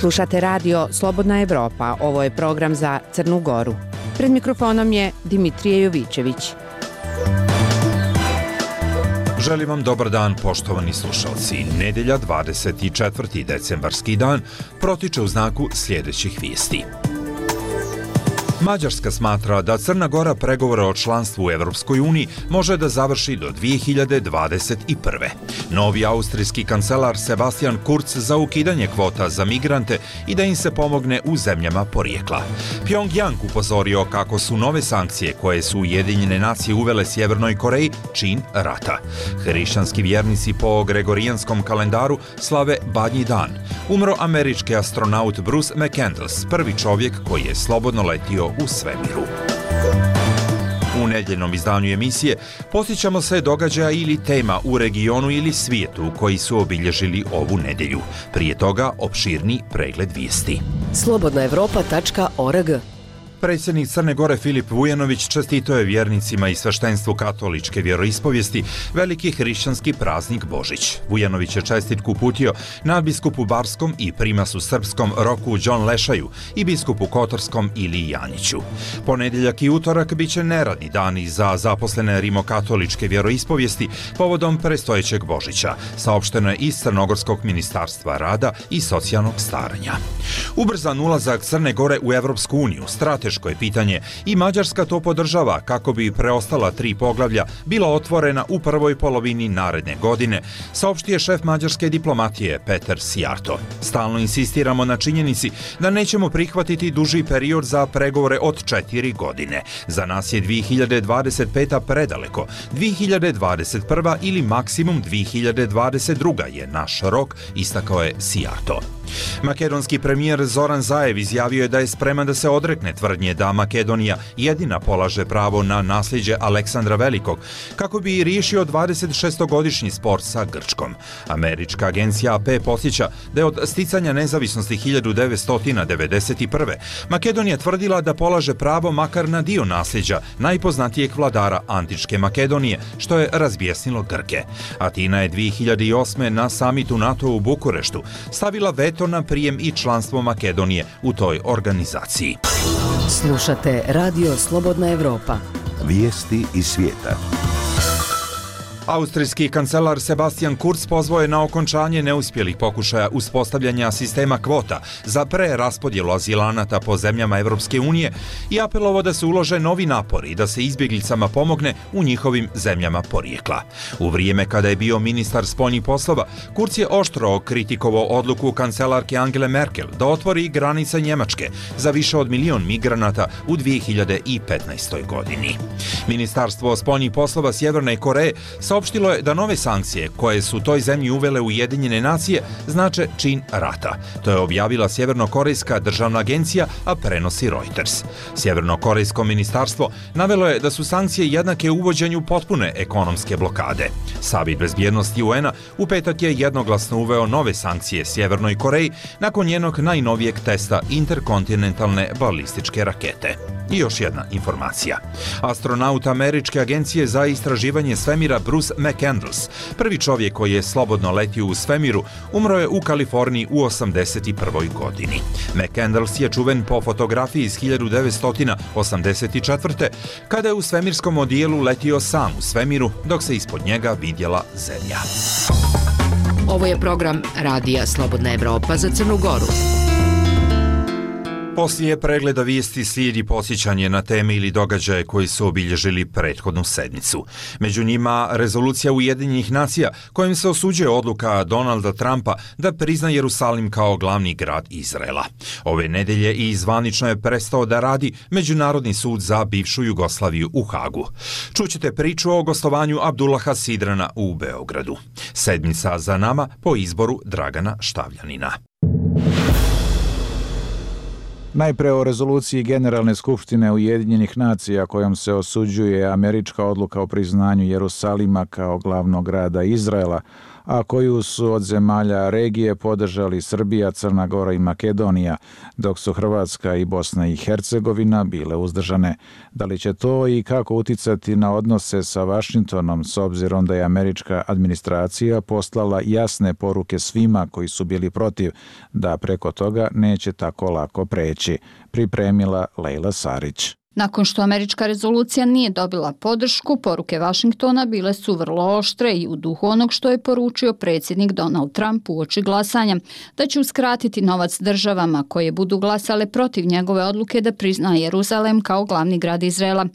Slušate radio Slobodna Evropa, ovo je program za Crnu Goru. Pred mikrofonom je Dimitrije Jovićević. Želim vam dobar dan, poštovani slušalci. Nedelja, 24. decembarski dan, protiče u znaku sljedećih vijesti. Mađarska smatra da Crna Gora pregovore o članstvu u Evropskoj uniji može da završi do 2021. Novi austrijski kancelar Sebastian Kurz za ukidanje kvota za migrante i da im se pomogne u zemljama porijekla. Pjongjang upozorio kako su nove sankcije koje su Ujedinjene nacije uvele Sjevernoj Koreji čin rata. Hrišćanski vjernici po gregorijanskom kalendaru slave Badnji dan. Umro američki astronaut Bruce McCandless, prvi čovjek koji je slobodno letio u svemiru. U nedjeljnom izdanju emisije posjećamo se događaja ili tema u regionu ili svijetu koji su obilježili ovu nedjelju. Prije toga opširni pregled vijesti. slobodnaevropa.org. Predsjednik Crne Gore Filip Vujanović čestitao je vjernicima i sveštenstvu katoličke vjeroispovijesti veliki hrišćanski praznik Božić. Vujanović je čestitku uputio nadbiskupu Barskom i primasu srpskom Roku Đon Lešaju i biskupu Kotorskom Iliji Janjiću. Ponedjeljak i utorak bit će neradni dani za zaposlene rimokatoličke vjeroispovijesti povodom predstojećeg Božića, saopšteno je iz Crnogorskog ministarstva rada i socijalnog staranja. Ubrzan ulazak Crne Gore u Evropsku uniju strateško je pitanje i Mađarska to podržava kako bi preostala 3 poglavlja bila otvorena u prvoj polovini naredne godine, saopštio je šef mađarske diplomatije Peter Sijarto. Stalno insistiramo na činjenici da nećemo prihvatiti duži period za pregovore od 4 godine. Za nas je 2025. predaleko, 2021. ili maksimum 2022. je naš rok, istakao je Sijarto. Makedonski premijer Zoran Zaev izjavio je da je spreman da se odrekne tvrdnje da Makedonija jedina polaže pravo na nasljeđe Aleksandra Velikog, kako bi riješio 26-godišnji spor sa Grčkom. Američka agencija AP podsjeća da je od sticanja nezavisnosti 1991. Makedonija tvrdila da polaže pravo makar na dio nasljeđa najpoznatijeg vladara antičke Makedonije, što je razbjesnilo Grke. Atina je 2008. na samitu NATO u Bukureštu stavila veto na prijem i članstvo Makedonije u toj organizaciji. Slušate radio Slobodna Evropa. Vijesti iz svijeta. Austrijski kancelar Sebastian Kurz pozvao je na okončanje neuspjelih pokušaja uspostavljanja sistema kvota za preraspodjelu azilanata po zemljama Evropske unije i apelovao da se ulože novi napori i da se izbjeglicama pomogne u njihovim zemljama porijekla. U vrijeme kada je bio ministar spoljnih poslova, Kurz je oštro kritikovao odluku kancelarke Angele Merkel da otvori granice Njemačke za više od 1 milion migranata u 2015. godini. Ministarstvo spoljnih poslova Sjeverne Koreje saopštilo je da nove sankcije koje su toj zemlji uvele Ujedinjene nacije znače čin rata. To je objavila Sjevernokorejska državna agencija, a prenosi Reuters. Sjevernokorejsko ministarstvo navelo je da su sankcije jednake uvođenju potpune ekonomske blokade. Savjet bezbjednosti UN-a u petak je jednoglasno uveo nove sankcije Sjevernoj Koreji nakon njenog najnovijeg testa interkontinentalne balističke rakete. I još jedna informacija. Astronaut Američke agencije za istraživanje svemira Bruce McCandless, prvi čovjek koji je slobodno letio u svemiru, umro je u Kaliforniji u 81. godini. McCandless je čuven po fotografiji iz 1984. kada je u svemirskom odijelu letio sam u svemiru, dok se ispod njega vidjela zemlja. Ovo je program radija Slobodna Evropa za Crnu Goru. Poslije pregleda vijesti slijedi podsjećanje na teme ili događaje koji su obilježili prethodnu sedmicu. Među njima rezolucija Ujedinjenih nacija kojim se osuđuje odluka Donalda Trumpa da prizna Jerusalim kao glavni grad Izraela. Ove nedjelje i zvanično je prestao da radi Međunarodni sud za bivšu Jugoslaviju u Hagu. Čućete priču o gostovanju Abdullaha Sidrana u Beogradu. Sedmica za nama po izboru Dragana Štavljanina. Najpre o rezoluciji Generalne skupštine Ujedinjenih nacija kojom se osuđuje američka odluka o priznanju Jerusalima kao glavnog grada Izraela, a koju su od zemalja regije podržali Srbija, Crna Gora i Makedonija, dok su Hrvatska i Bosna i Hercegovina bile uzdržane. Da li će to i kako uticati na odnose sa Vašingtonom, s obzirom da je američka administracija poslala jasne poruke svima koji su bili protiv, da preko toga neće tako lako preći, pripremila Lejla Sarić. Nakon što američka rezolucija nije dobila podršku, poruke Vašingtona bile su vrlo oštre i u duhu onog što je poručio predsjednik Donald Trump uoči glasanja, da će uskratiti novac državama koje budu glasale protiv njegove odluke da prizna Jeruzalem kao glavni grad Izraela.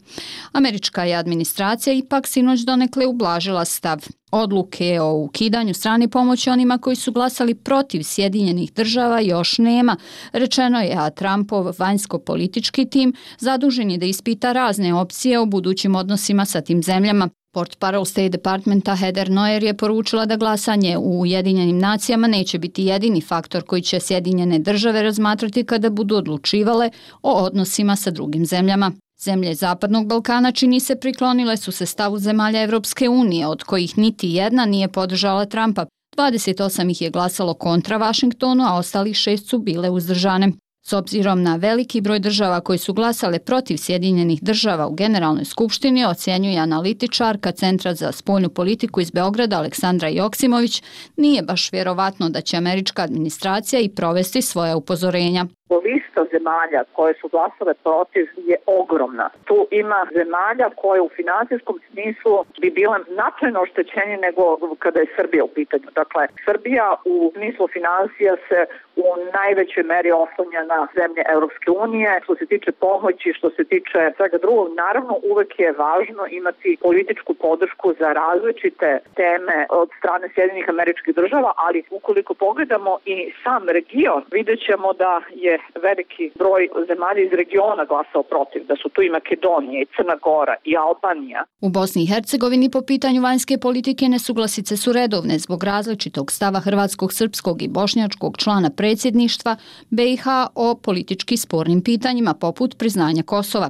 Američka je administracija ipak sinoć donekle ublažila stav. Odluke o ukidanju strane pomoći onima koji su glasali protiv Sjedinjenih država još nema, rečeno je, a Trumpov vanjsko-politički tim zadužen je da ispita razne opcije o budućim odnosima sa tim zemljama. Portparol State Departmenta Heather Nauert je poručila da glasanje u Ujedinjenim nacijama neće biti jedini faktor koji će Sjedinjene države razmatrati kada budu odlučivale o odnosima sa drugim zemljama. Zemlje Zapadnog Balkana, čini se, priklonile su se stavu zemalja Evropske unije, od kojih niti jedna nije podržala Trumpa. 28 ih je glasalo kontra Vašingtonu, a ostalih 6 su bile uzdržane. S obzirom na veliki broj država koji su glasale protiv Sjedinjenih država u Generalnoj skupštini, ocjenjuje analitičarka Centra za spoljnu politiku iz Beograda Aleksandra Joksimović, nije baš vjerovatno da će američka administracija i provesti svoja upozorenja. Lista zemalja koje su glasale protiv je ogromna. Tu ima zemalja koje u financijskom smislu bi bile značajno oštećenije nego kada je Srbija u pitanju. Dakle, Srbija u smislu financija se u najvećoj meri oslanja na zemlje Europske unije. Što se tiče pomoći, što se tiče svega drugog, naravno uvek je važno imati političku podršku za različite teme od strane Sjedinjenih Američkih Država, ali ukoliko pogledamo i sam region, vidjet ćemo da je veliki broj zemalja iz regiona glasao protiv, da su tu i Makedonija, i Crna Gora, i Albanija. U Bosni i Hercegovini po pitanju vanjske politike nesuglasice su redovne zbog različitog stava hrvatskog, srpskog i bošnjačkog člana predsjedništva BiH o politički spornim pitanjima poput priznanja Kosova.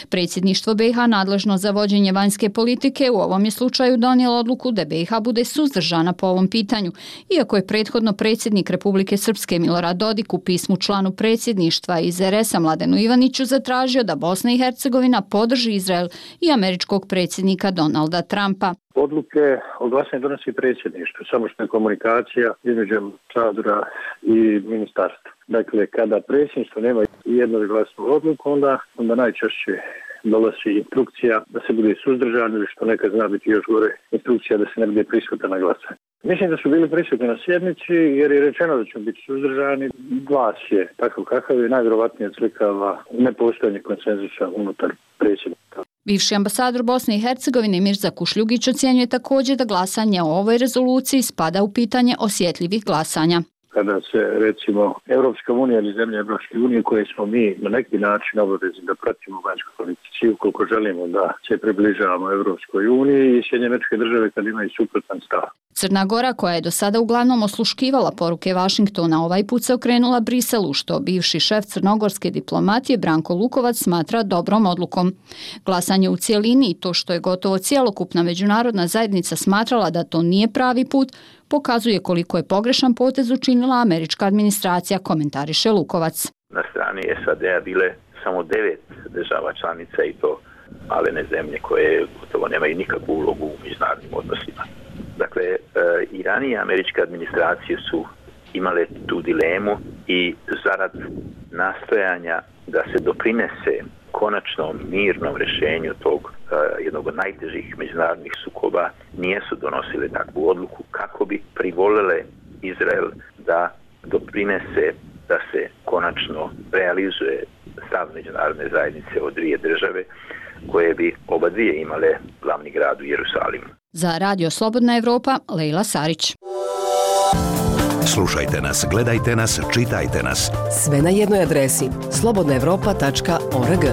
Predsjedništvo BiH nadležno za vođenje vanjske politike u ovom je slučaju donijelo odluku da BiH bude suzdržana po ovom pitanju, iako je prethodno predsjednik Republike Srpske Milorad Dodik u pismu članu predsjedništva iz RS-a Mladenu Ivaniću zatražio da Bosna i Hercegovina podrži Izrael i američkog predsjednika Donalda Trumpa. Odluke o glasanju donosi predsjedništvo, samo što je komunikacija između ambasadora i ministarstva. Dakle, kada predsjedništvo nema jednoglasnu odluku, onda najčešće dolazi instrukcija da se bude suzdržan ili što nekad zna biti još gore, instrukcija da se ne bude prisutan na glasanje. Mislim da su bili prisutni na sjednici jer je rečeno da ćemo biti suzdržani. Glas je takav kakav je, najvjerovatnije odslikava nepostojanje konsenzusa unutar predsjednika. Bivši ambasador Bosne i Hercegovine Mirza Kušljugić ocjenjuje također da glasanje o ovoj rezoluciji spada u pitanje osjetljivih glasanja. Kada se, recimo, Europska unija ili zemlje Europske unije koje smo mi na neki način obavezni da pratimo vanjsku politici ukoliko želimo da se približavamo Europskoj uniji i Sjedinjene Američke Države kad imaju suprotan stav. Crna Gora, koja je do sada uglavnom osluškivala poruke Vašingtona, ovaj put se okrenula Briselu, što bivši šef crnogorske diplomatije Branko Lukovac smatra dobrom odlukom. Glasanje u cijelini i to što je gotovo cjelokupna međunarodna zajednica smatrala da to nije pravi put, pokazuje koliko je pogrešan potez učinila američka administracija, komentariše Lukovac. Na strani SAD-a bile samo 9 država članica i to malene zemlje koje gotovo nemaju nikakvu ulogu u međunarodnim odnosima. Dakle, i ranije američke administracije su imale tu dilemu i zarad nastojanja da se doprinese konačnom mirnom rješenju tog jednog od najtežih međunarodnih sukoba nijesu donosile takvu odluku kako bi privolile Izrael da doprinese da se konačno realizuje stav međunarodne zajednice od dvije države koje bi oba dvije imale glavni grad u Jerusalimu. Za Radio Slobodna Evropa, Lejla Sarić. Slušajte nas, gledajte nas, čitajte nas. Sve na jednoj adresi slobodnaevropa.org.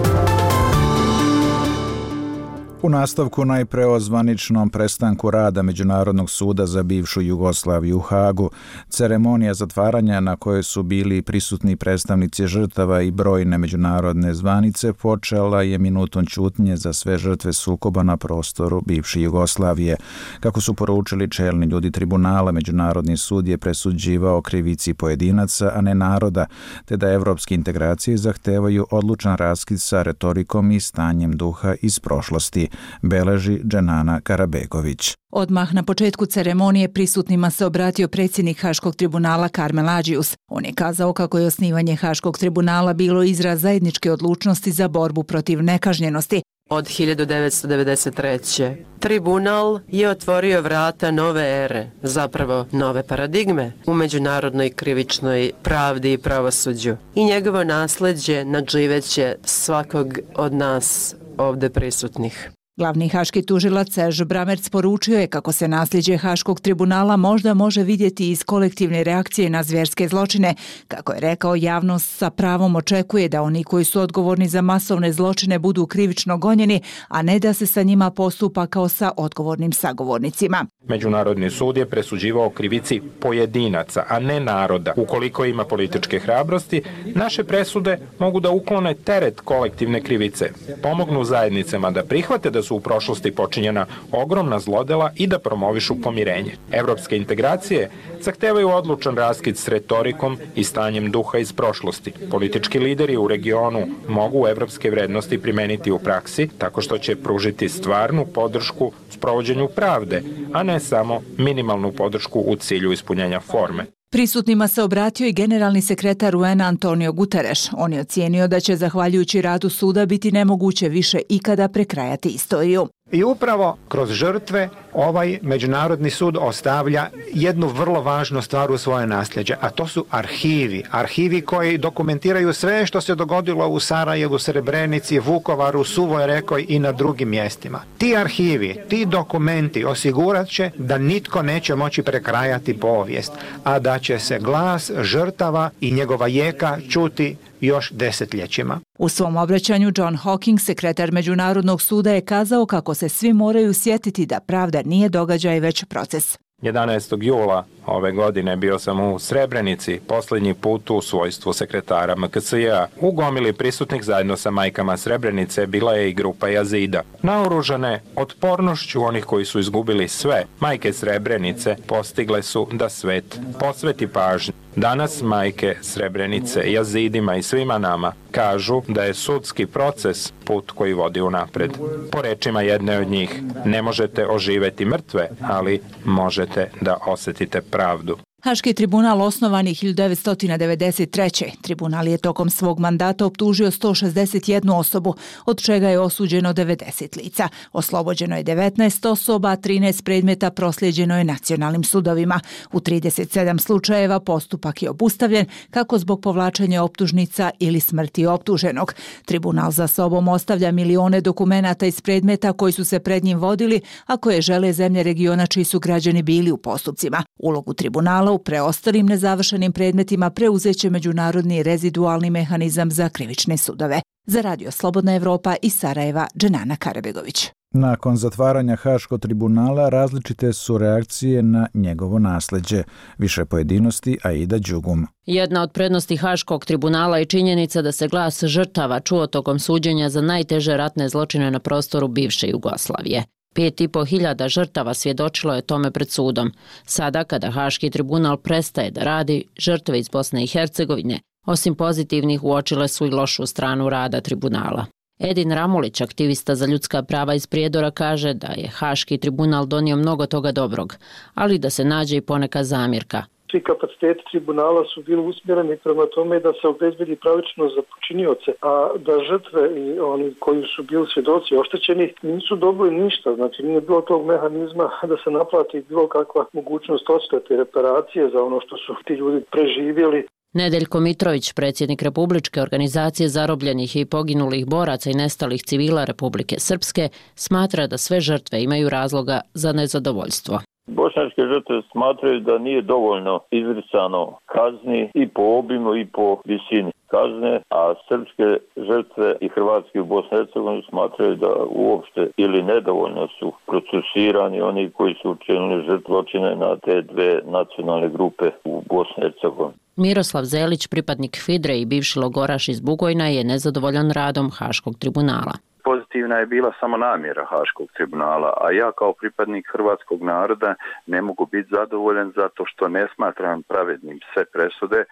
U nastavku najpre o zvaničnom prestanku rada Međunarodnog suda za bivšu Jugoslaviju u Hagu. Ceremonija zatvaranja na kojoj su bili prisutni predstavnici žrtava i brojne međunarodne zvanice počela je minutom ćutnje za sve žrtve sukoba na prostoru bivše Jugoslavije. Kako su poručili čelni ljudi tribunala, Međunarodni sud je presuđivao krivici pojedinaca, a ne naroda, te da evropske integracije zahtevaju odlučan raskid sa retorikom i stanjem duha iz prošlosti, beleži Dženana Karabegović. Odmah na početku ceremonije prisutnima se obratio predsjednik Haškog tribunala Karmel Adžius. On je kazao kako je osnivanje Haškog tribunala bilo izraz zajedničke odlučnosti za borbu protiv nekažnjenosti. Od 1993. Tribunal je otvorio vrata nove ere, zapravo nove paradigme u međunarodnoj krivičnoj pravdi i pravosuđu. I njegovo nasljeđe nadživeće svakog od nas ovdje prisutnih. Glavni haški tužilac Serž Bramerc poručio je kako se nasljeđe Haškog tribunala možda može vidjeti iz kolektivne reakcije na zvjerske zločine. Kako je rekao, javnost sa pravom očekuje da oni koji su odgovorni za masovne zločine budu krivično gonjeni, a ne da se sa njima postupa kao sa odgovornim sagovornicima. Međunarodni sud je presuđivao krivici pojedinaca, a ne naroda. Ukoliko ima političke hrabrosti, naše presude mogu da uklone teret kolektivne krivice, pomognu zajednicama da prihvate da su u prošlosti počinjena ogromna zlodela i da promovišu pomirenje. Evropske integracije zahtevaju odlučan raskid s retorikom i stanjem duha iz prošlosti. Politički lideri u regionu mogu evropske vrednosti primeniti u praksi tako što će pružiti stvarnu podršku sprovođenju pravde, a ne samo minimalnu podršku u cilju ispunjenja forme. Prisutnima se obratio i generalni sekretar UN Antonio Guterres. On je ocijenio da će zahvaljujući radu suda biti nemoguće više ikada prekrajati istoriju. I upravo kroz žrtve ovaj Međunarodni sud ostavlja jednu vrlo važnu stvar u svoje nasljeđe, a to su arhivi. Arhivi koji dokumentiraju sve što se dogodilo u Sarajevu, Srebrenici, Vukovaru, Suvoj Rekoj i na drugim mjestima. Ti arhivi, ti dokumenti osigurat će da nitko neće moći prekrajati povijest, a da će se glas žrtava i njegova jeka čuti još desetljećima. U svom obraćanju John Hawking, sekretar Međunarodnog suda, je kazao kako se svi moraju sjetiti da pravda nije događaj već proces. 11. jula ove godine bio sam u Srebrenici, posljednji put u svojstvu sekretara MKS-a. U gomili prisutnih zajedno sa majkama Srebrenice bila je i grupa Jazida. Naoružane otpornošću onih koji su izgubili sve, majke Srebrenice postigle su da svet posveti pažnju. Danas majke Srebrenice, Jazidima i svima nama kažu da je sudski proces put koji vodi unapred. Po rečima jedne od njih, ne možete oživeti mrtve, ali možete da osjetite pravdu. Haški tribunal osnovan je 1993. Tribunal je tokom svog mandata optužio 161 osobu, od čega je osuđeno 90 lica. Oslobođeno je 19 osoba, a 13 predmeta proslijeđeno je nacionalnim sudovima. U 37 slučajeva postupak je obustavljen, kako zbog povlačenja optužnica ili smrti optuženog. Tribunal za sobom ostavlja milione dokumenata iz predmeta koji su se pred njim vodili, a koje žele zemlje regiona čiji su građani bili u postupcima. Ulogu tribunala u preostalim nezavršenim predmetima preuzeće međunarodni rezidualni mehanizam za krivične sudove. Za Radio Slobodna Evropa iz Sarajeva, Dženana Karabegović. Nakon zatvaranja Haškog tribunala različite su reakcije na njegovo nasleđe. Više pojedinosti Aida Đugum. Jedna od prednosti Haškog tribunala je činjenica da se glas žrtava čuo tokom suđenja za najteže ratne zločine na prostoru bivše Jugoslavije. 5.500 žrtava svjedočilo je tome pred sudom. Sada, kada Haški tribunal prestaje da radi, žrtve iz Bosne i Hercegovine, osim pozitivnih, uočile su i lošu stranu rada tribunala. Edin Ramulić, aktivista za ljudska prava iz Prijedora, kaže da je Haški tribunal donio mnogo toga dobrog, ali da se nađe i poneka zamjerka. Svi kapaciteti tribunala su bili usmjereni prema tome da se obezbedi pravičnost za počinioce, a da žrtve i oni koji su bili svjedoci oštećeni nisu dobili ništa. Znači nije bilo tog mehanizma da se naplati bilo kakva mogućnost odštete i reparacije za ono što su ti ljudi preživjeli. Nedeljko Mitrović, predsjednik Republičke organizacije zarobljenih i poginulih boraca i nestalih civila Republike Srpske, smatra da sve žrtve imaju razloga za nezadovoljstvo. Bošnjačke žrtve smatraju da nije dovoljno izricano kazni i po obimu i po visini kazne, a srpske žrtve i hrvatski u Bosni i Hercegovini smatraju da uopšte ili nedovoljno su procesuirani oni koji su učinili zločine na te dve nacionalne grupe u Bosni i Hercegovini. Miroslav Zelić, pripadnik Fidre i bivši logoraš iz Bugojna, je nezadovoljan radom Haškog tribunala. Pozitivna je bila samo namjera Haškog tribunala, a ja kao pripadnik hrvatskog naroda ne mogu biti zadovoljan zato što ne smatram pravednim sve presude.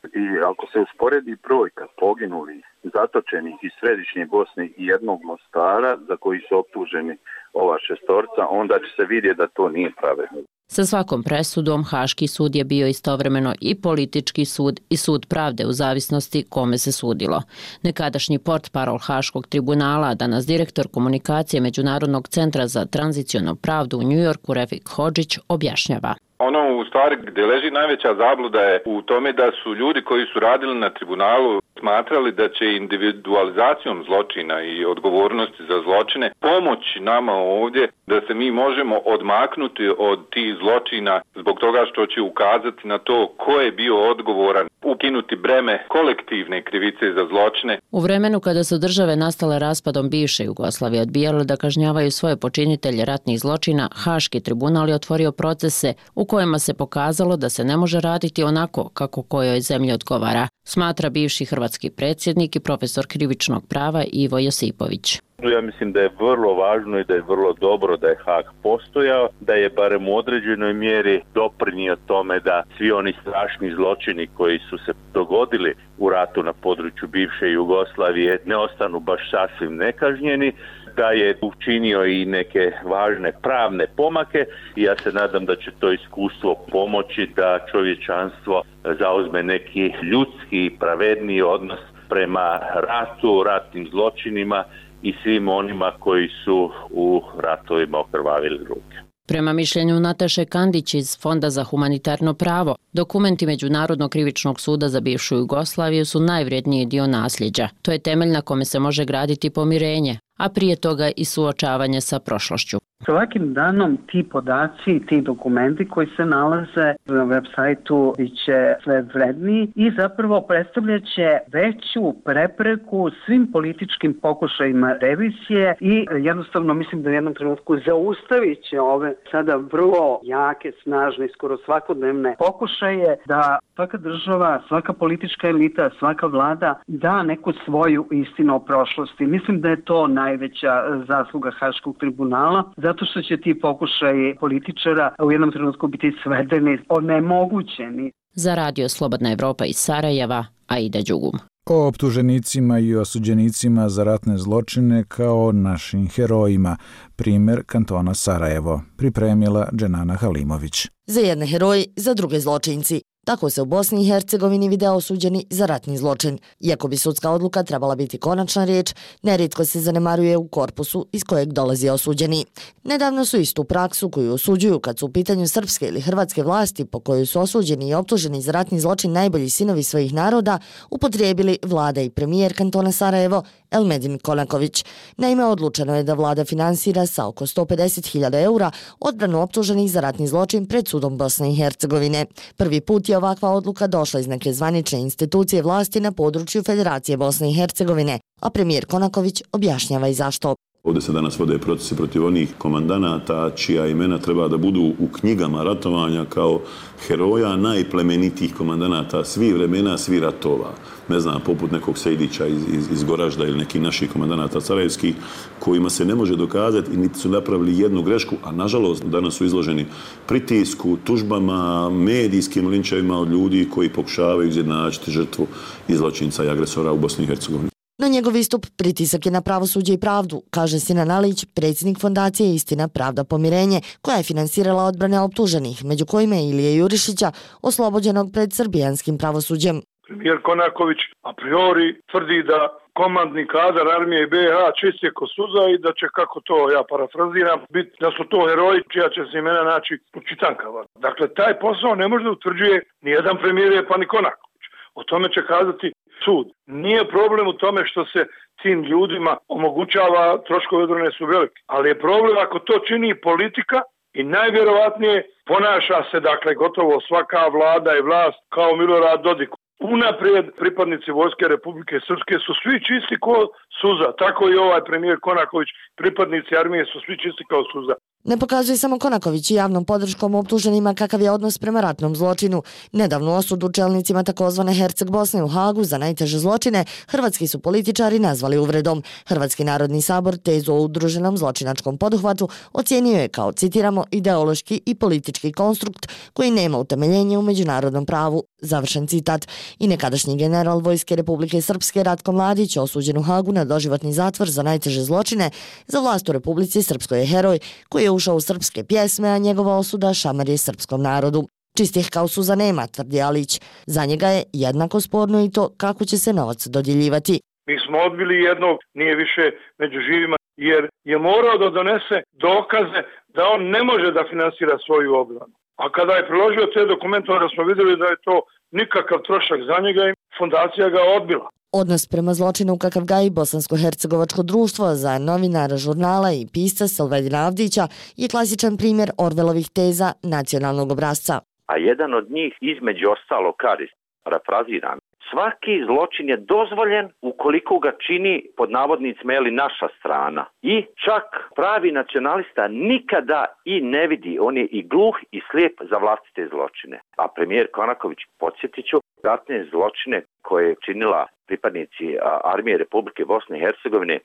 I ako se usporedi brojka poginulih, zatočenih iz središnje Bosne i jednog Mostara za koji su optuženi ova šestorca, onda će se vidjeti da to nije pravedno. Sa svakom presudom Haški sud je bio istovremeno i politički sud i sud pravde u zavisnosti kome se sudilo. Nekadašnji portparol Haškog tribunala, danas direktor komunikacije Međunarodnog centra za tranzicionalnu pravdu u Njujorku, Refik Hodžić, objašnjava. Ono u stvari gdje leži najveća zabluda je u tome da su ljudi koji su radili na tribunalu smatrali da će individualizacijom zločina i odgovornosti za zločine pomoći nama ovdje da se mi možemo odmaknuti od tih zločina zbog toga što će ukazati na to ko je bio odgovoran, ukinuti breme kolektivne krivice za zločine. U vremenu kada su države nastale raspadom bivše Jugoslavije odbijale da kažnjavaju svoje počinitelje ratnih zločina, Haški tribunal je otvorio procese u kojima se pokazalo da se ne može raditi onako kako kojoj zemlji odgovara, smatra bivši hrvatski predsjednik i profesor krivičnog prava Ivo Josipović. Ja mislim da je vrlo važno i da je vrlo dobro da je Haag postojao, da je barem u određenoj mjeri doprinio tome da svi oni strašni zločini koji su se dogodili u ratu na području bivše Jugoslavije ne ostanu baš sasvim nekažnjeni, da je učinio i neke važne pravne pomake i ja se nadam da će to iskustvo pomoći da čovječanstvo zauzme neki ljudski, pravedniji odnos prema ratu, ratnim zločinima i svim onima koji su u ratovima okrvavili ruke. Prema mišljenju Nataše Kandić iz Fonda za humanitarno pravo, dokumenti Međunarodnog krivičnog suda za bivšu Jugoslaviju su najvrijedniji dio nasljeđa. To je temelj na kome se može graditi pomirenje, a prije toga i suočavanje sa prošlošću. Svakim danom ti podaci, ti dokumenti koji se nalaze na web sajtu biće sve vredniji i zapravo predstavljaće veću prepreku svim političkim pokušajima revizije i jednostavno mislim da u jednom trenutku zaustavit će ove sada vrlo jake, snažne i skoro svakodnevne pokušaje da svaka država, svaka politička elita, svaka vlada da neku svoju istinu o prošlosti. Mislim da je to najveća zasluga Haškog tribunala, zato što će ti pokušaji političara u jednom trenutku biti svedeni, onemogućeni. Za Radio Slobodna Evropa iz Sarajeva, Aida Đugum. O optuženicima i osuđenicima za ratne zločine kao našim herojima. Primjer kantona Sarajevo. Pripremila Dženana Halimović. Za jedne heroji, za druge zločinci. Tako se u Bosni i Hercegovini vide osuđeni za ratni zločin. Iako bi sudska odluka trebala biti konačna riječ, nerijetko se zanemaruje u korpusu iz kojeg dolazi osuđeni. Nedavno su istu praksu koju osuđuju kad su u pitanju srpske ili hrvatske vlasti po kojoj su osuđeni i optuženi za ratni zločin najbolji sinovi svojih naroda upotrijebili vlada i premijer kantona Sarajevo Elmedin Konaković. Naime, odlučeno je da vlada finansira sa oko 150.000 eura odbranu optuženih za ratni zločin pred sudom Bosne i Hercegovine. Prvi put je ovakva odluka došla iz neke zvanične institucije vlasti na području Federacije Bosne i Hercegovine, a premijer Konaković objašnjava i zašto. Ovdje se danas vode procesi protiv onih komandanata čija imena treba da budu u knjigama ratovanja kao heroja najplemenitijih komandanata svih vremena, svih ratova. Ne znam, poput nekog Sejdića iz Goražda ili nekih naših komandanata carevskih, kojima se ne može dokazati i niti su napravili jednu grešku, a nažalost danas su izloženi pritisku, tužbama, medijskim linčevima od ljudi koji pokušavaju izjednačiti žrtvu i zločinca i agresora u Bosni i Hercegovini. No njegov istup pritisak je na pravosuđe i pravdu, kaže Sinan Alić, predsjednik fondacije Istina, pravda, pomirenje, koja je finansirala odbrane optuženih, među kojima je Ilije Jurišića, oslobođenog pred srbijanskim pravosuđem. Premijer Konaković a priori tvrdi da komandni kadar armije BiH čist je ko suza i da će, kako to ja parafraziram, biti da su to heroji čija će se imena naći u čitankama. Dakle, taj posao ne može da utvrđuje ni jedan premijer pa ni Konaković. O tome će kazati sud. Nije problem u tome što se tim ljudima omogućava, troškovi odbrane su veliki, ali je problem ako to čini politika I najvjerovatnije ponaša se, dakle, gotovo svaka vlada i vlast kao Milorad Dodik. Unaprijed pripadnici Vojske Republike Srpske su svi čisti ko suza, tako i ovaj premijer Konaković, pripadnici armije su svi čisti kao suza. Ne pokazuje samo Konaković i javnom podrškom optuženima kakav je odnos prema ratnom zločinu. Nedavnu osudu čelnicima takozvane Herceg Bosne u Hagu za najteže zločine hrvatski su političari nazvali uvredom. Hrvatski narodni sabor tezu o udruženom zločinačkom poduhvatu ocijenio je kao, citiramo, ideološki i politički konstrukt koji nema utemeljenje u međunarodnom pravu. Završen citat. I nekadašnji general Vojske Republike Srpske Ratko Mladić, osuđen u Hagu na doživotni zatvor za najteže zločine, za vlast u Republici Srpskoj je heroj koji je ušao u srpske pjesme, a njegova osuda šamar je srpskom narodu. Čistih kao suza nema, tvrdi Alić. Za njega je jednako sporno i to kako će se novac dodjeljivati. Mi smo odbili jednog, nije više među živima, jer je morao da donese dokaze da on ne može da finansira svoju obranu. A kada je priložio te dokumente, onda smo vidjeli da je to nikakav trošak za njega i fondacija ga odbila. Odnos prema zločinu kakav gaji Bosansko-hercegovačko društvo za novinara, žurnala i pisca Silvedina Avdića je klasičan primjer Orvelovih teza nacionalnog obrazca. A jedan od njih između ostalo kaže, parafraziram, svaki zločin je dozvoljen ukoliko ga čini pod navodnicima naša strana. I čak pravi nacionalista nikada i ne vidi, on je i gluh i slijep za vlastite zločine. A premijer Konaković, podsjetit ću, ratne zločine koje je činila pripadnici armije Republike Bosne i Hercegovine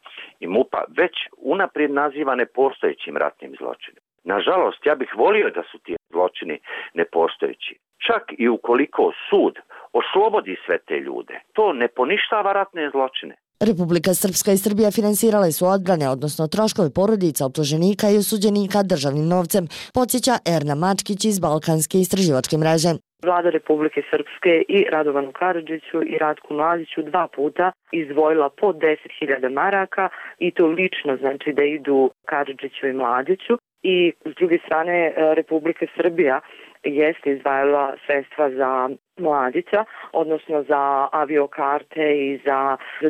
i MUP-a već unaprijed nazivane postojećim ratnim zločinima. Nažalost, ja bih volio da su ti zločini nepostojeći. Čak i ukoliko sud oslobodi sve te ljude, to ne poništava ratne zločine. Republika Srpska i Srbija finansirale su odbrane, odnosno troškove porodica optuženika i osuđenika državnim novcem, podsjeća Erna Mačkić iz Balkanske istraživačke mreže. Vlada Republike Srpske i Radovanu Karadžiću i Ratku Mladiću 2 puta izdvojila po 10.000 maraka i to lično, znači da idu Karadžiću i Mladiću. I s druge strane Republika Srbija jeste izdvajala sredstva za Mladića, odnosno za aviokarte i za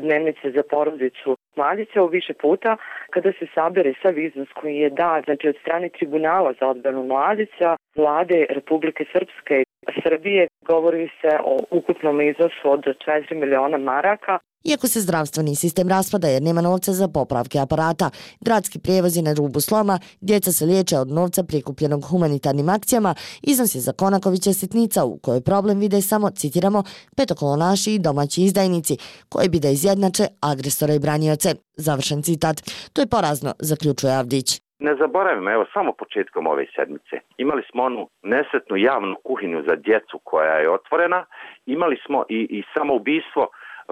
dnevnice za porodicu Mladića u više puta. Kada se sabere sav iznos koji je dat, znači od strane Tribunala za odbranu Mladića, Vlade Republike Srpske i Srbije, govori se o ukupnom iznosu od 4 miliona maraka. Iako se zdravstveni sistem raspada jer nema novca za popravke aparata, gradski prijevoz je na rubu sloma, djeca se liječe od novca prikupljenog humanitarnim akcijama, iznos je za Konakovića sitnica u kojoj problem vide samo, citiramo, petokolonaši i domaći izdajnici, koji bi da izjednače agresora i branioce. Završen citat. To je porazno, zaključuje Avdić. Ne zaboravimo, evo samo početkom ove sedmice. Imali smo onu nesretnu javnu kuhinju za djecu koja je otvorena, imali smo i samoubistvo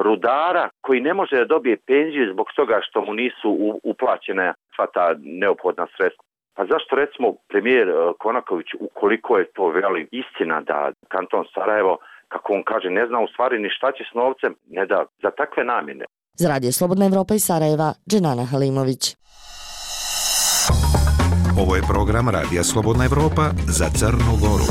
rudara koji ne može da dobije penziju zbog toga što mu nisu uplaćene sva ta neophodna sredstva. Pa zašto recimo premijer Konaković, ukoliko je to istina da kanton Sarajevo, kako on kaže, ne zna u stvari ni šta će s novcem, ne da za takve namjene. Za Radio Slobodna Evropa iz Sarajeva, Dženana Halimović. Ovo je program Radija Slobodna Evropa za Crnu Goru.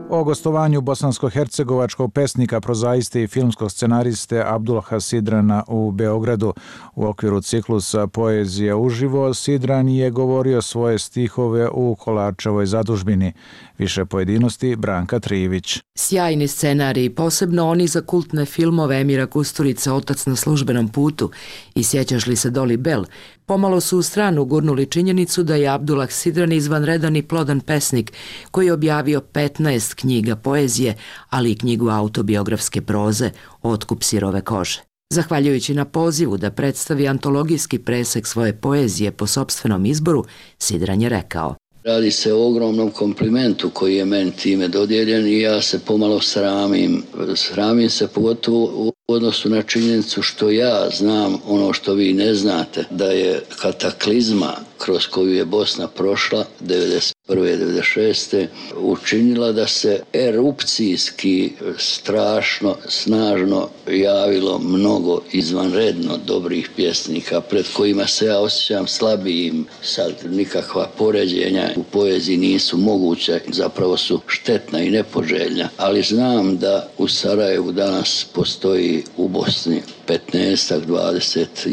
O gostovanju bosansko-hercegovačkog pesnika, prozaiste i filmskog scenariste Abdulha Sidrana u Beogradu u okviru ciklusa Poezija uživo, Sidran je govorio svoje stihove u Kolarčevoj zadužbini. Više pojedinosti Branka Trivić. Sjajni scenariji, posebno oni za kultne filmove Emira Kusturica Otac na službenom putu i Sjećaš li se Doli Bell, pomalo su u stranu gurnuli činjenicu da je Abdullah Sidran izvanredan i plodan pesnik koji je objavio 15 knjiga poezije, ali i knjigu autobiografske proze Otkup sirove kože. Zahvaljujući na pozivu da predstavi antologijski presek svoje poezije po sopstvenom izboru, Sidran je rekao: Radi se o ogromnom komplimentu koji je meni time dodijeljen i ja se pomalo sramim. Sramim se pogotovo u odnosu na činjenicu što ja znam ono što vi ne znate, da je kataklizma kroz koju je Bosna prošla 1991. 1996. učinila da se erupcijski strašno, snažno javilo mnogo izvanredno dobrih pjesnika pred kojima se ja osjećam slabijim. Sad nikakva poređenja u poeziji nisu moguće, zapravo su štetna i nepoželjna, ali znam da u Sarajevu danas postoji u Bosni 15-20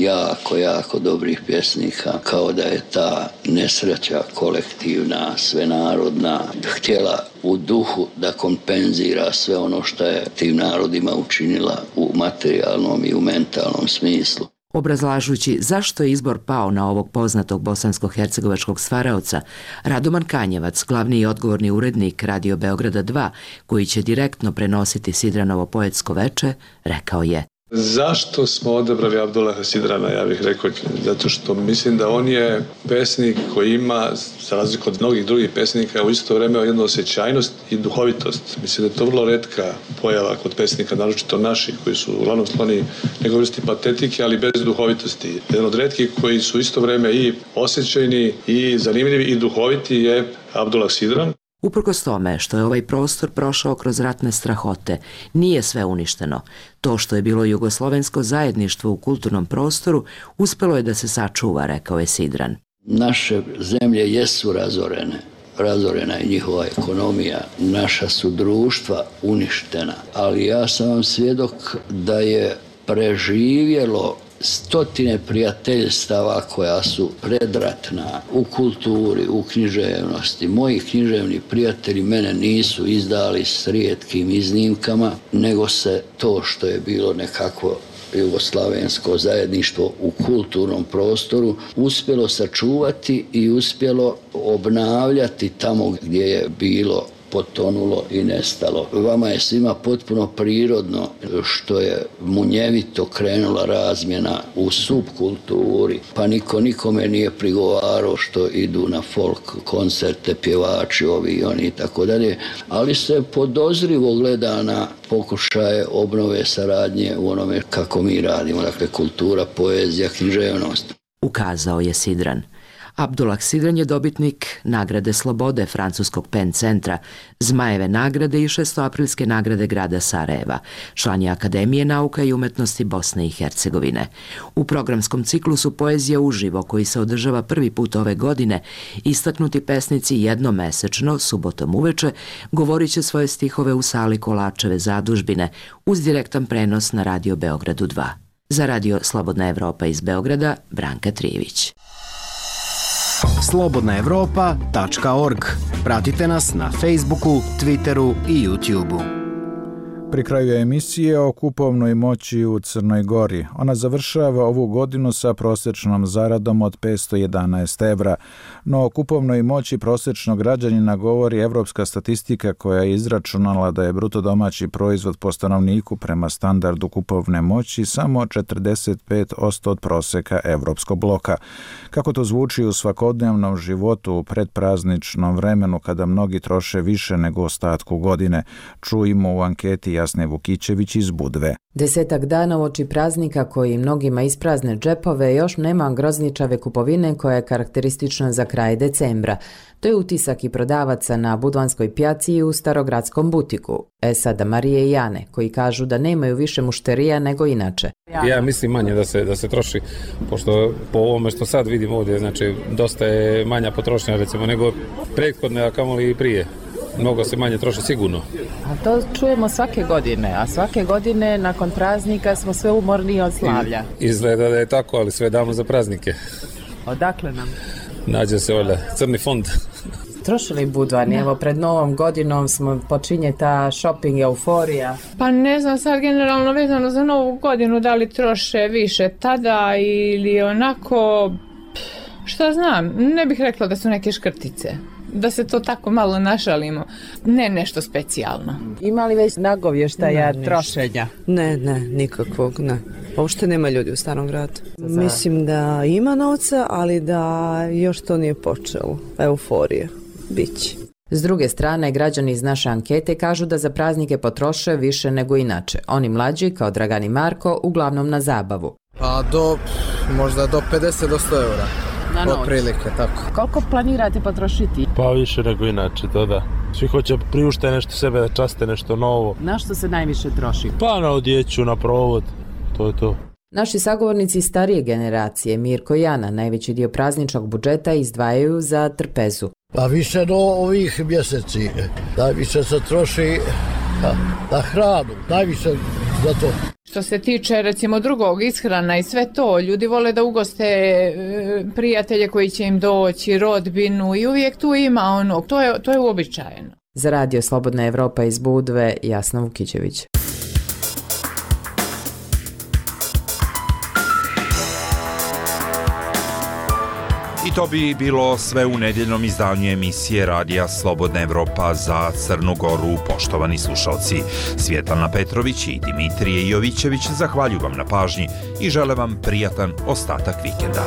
jako dobrih pjesnika, kao da je ta nesreća kolektivna, svenarodna, htjela u duhu da kompenzira sve ono što je tim narodima učinila u materijalnom i u mentalnom smislu. Obrazlažući zašto je izbor pao na ovog poznatog bosansko-hercegovačkog stvaraoca, Radoman Kanjevac, glavni i odgovorni urednik Radio Beograda 2, koji će direktno prenositi Sidranovo poetsko veče, rekao je: Zašto smo odabrali Abdullaha Sidrana, ja bih rekao, zato što mislim da on je pesnik koji ima, za razliku od mnogih drugih pesnika, u isto vrijeme jednu osjećajnost i duhovitost. Mislim da je to vrlo retka pojava kod pesnika, naročito naših, koji su uglavnom skloni nekoj vrsti patetike, ali bez duhovitosti. Jedan od retkih koji su isto vrijeme i osjećajni i zanimljivi i duhoviti je Abdullah Sidran. Uprkos tome što je ovaj prostor prošao kroz ratne strahote, nije sve uništeno. To što je bilo jugoslovensko zajedništvo u kulturnom prostoru uspelo je da se sačuva, rekao je Sidran. Naše zemlje jesu razorene. Razorena je njihova ekonomija, naša su društva uništena. Ali ja sam vam svjedok da je preživjelo stotine prijateljstava koja su predratna u kulturi, u književnosti. Moji književni prijatelji mene nisu izdali s rijetkim iznimkama, nego se to što je bilo nekako jugoslavensko zajedništvo u kulturnom prostoru uspjelo sačuvati i uspjelo obnavljati tamo gdje je bilo potonulo i nestalo. Vama je svima potpuno prirodno što je munjevito krenula razmjena u subkulturi, pa niko nikome nije prigovarao što idu na folk koncerte, pjevači, ovi i oni i tako dalje, ali se podozrivo gleda na pokušaje obnove saradnje u onome kako mi radimo, dakle kultura, poezija, književnost. Ukazao je Sidran. Abdullah Sidran je dobitnik nagrade Slobode francuskog PEN centra, Zmajeve nagrade i 6. nagrade grada Sarajeva, član je Akademije nauka i umetnosti Bosne i Hercegovine. U programskom ciklusu Poezija uživo, koji se održava prvi put ove godine, istaknuti pesnici jednomesečno, subotom uveče, govorit će svoje stihove u sali Kolačeve zadužbine uz direktan prenos na Radio Beogradu 2. Za Radio Slobodna Evropa iz Beograda, Branka Trijević. slobodnaevropa.org. Pratite nas na Facebooku, Twitteru i YouTubeu. Pri kraju emisije o kupovnoj moći u Crnoj Gori. Ona završava ovu godinu sa prosječnom zaradom od 511 evra, no o kupovnoj moći prosječnog građanina govori evropska statistika koja je izračunala da je bruto domaći proizvod po stanovniku prema standardu kupovne moći samo 45% od proseka evropskog bloka. Kako to zvuči u svakodnevnom životu u predprazničnom vremenu kada mnogi troše više nego ostatku godine, čujemo u anketi Jasne Vukićević iz Budve. 10 dana uoči praznika koji mnogima isprazne džepove još nema grozničave kupovine koja je karakteristična za kraj decembra. To je utisak i prodavaca na Budvanskoj pjaci i u starogradskom butiku. Sada Marije i Jane, koji kažu da nemaju više mušterija nego inače. Ja mislim manje da se troši, pošto po ovome što sad vidim ovdje, znači dosta je manja potrošnja recimo nego prethodne, a kamoli i prije. Mnogo se manje troši sigurno. A to čujemo svake godine, a svake godine nakon praznika smo sve umorniji od slavlja. Izgleda da je tako, ali sve damo za praznike. Odakle nam? Nađe se ovdje crni fond. Trošili Budvani, evo pred novom godinom počinje ta shopping euforija. Pa ne znam sad generalno vezano za novu godinu da li troše više tada ili onako, šta znam, ne bih rekla da su neke škrtice. Da se to tako malo našalimo. Ne nešto specijalno. Ima li već nagovještaja trošenja? Ne, nikakvog, ne. Uopšte nema ljudi u Starom gradu. Mislim da ima novca, ali da još to nije počelo. Euforija. Biće. S druge strane, građani iz naše ankete kažu da za praznike potroše više nego inače. Oni mlađi, kao Dragan i Marko, uglavnom na zabavu. Pa možda do 50 do 100 eura. Na noć. Otprilike, tako. Koliko planirate potrošiti? Pa više nego inače, to da. Svi hoće priušte nešto sebe, da časte nešto novo. Na što se najviše troši? Pa na odjeću, na provod, to je to. Naši sagovornici starije generacije, Mirko i Jana, najveći dio prazničnog budžeta izdvajaju za trpezu. Pa više do ovih mjeseci, najviše se troši na hranu, najviše za to. Što se tiče recimo drugog ishrana i sve to, ljudi vole da ugoste prijatelje koji će im doći, rodbinu i uvijek tu ima ono, to je uobičajeno. Za Radio Slobodna Evropa iz Budve, Jasna Vukićević. I to bi bilo sve u nedjeljnom izdanju emisije Radija Slobodna Evropa za Crnu Goru. Poštovani slušalci, Svjetlana Petrović i Dimitrije Jovićević zahvaljuju vam na pažnji i žele vam prijatan ostatak vikenda.